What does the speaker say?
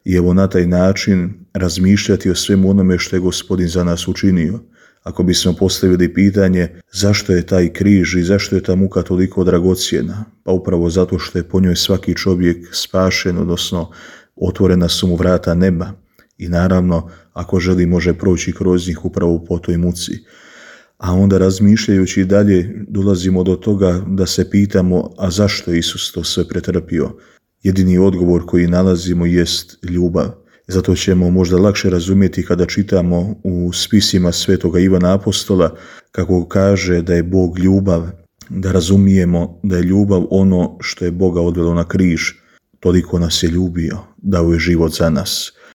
i evo na taj način razmišljati o svemu onome što je Gospodin za nas učinio. Ako bismo postavili pitanje zašto je taj križ i zašto je ta muka toliko dragocjena, pa upravo zato što je po njoj svaki čovjek spašen, odnosno otvorena su mu vrata neba i naravno ako želi može proći kroz njih upravo po toj muci. A onda razmišljajući dalje dolazimo do toga da se pitamo a zašto je Isus to sve pretrpio? Jedini odgovor koji nalazimo jest ljubav. Zato ćemo možda lakše razumjeti kada čitamo u spisima svetoga Ivana Apostola kako kaže da je Bog ljubav, da razumijemo da je ljubav ono što je Boga odvelo na križ. Toliko nas je ljubio, dao je život za nas.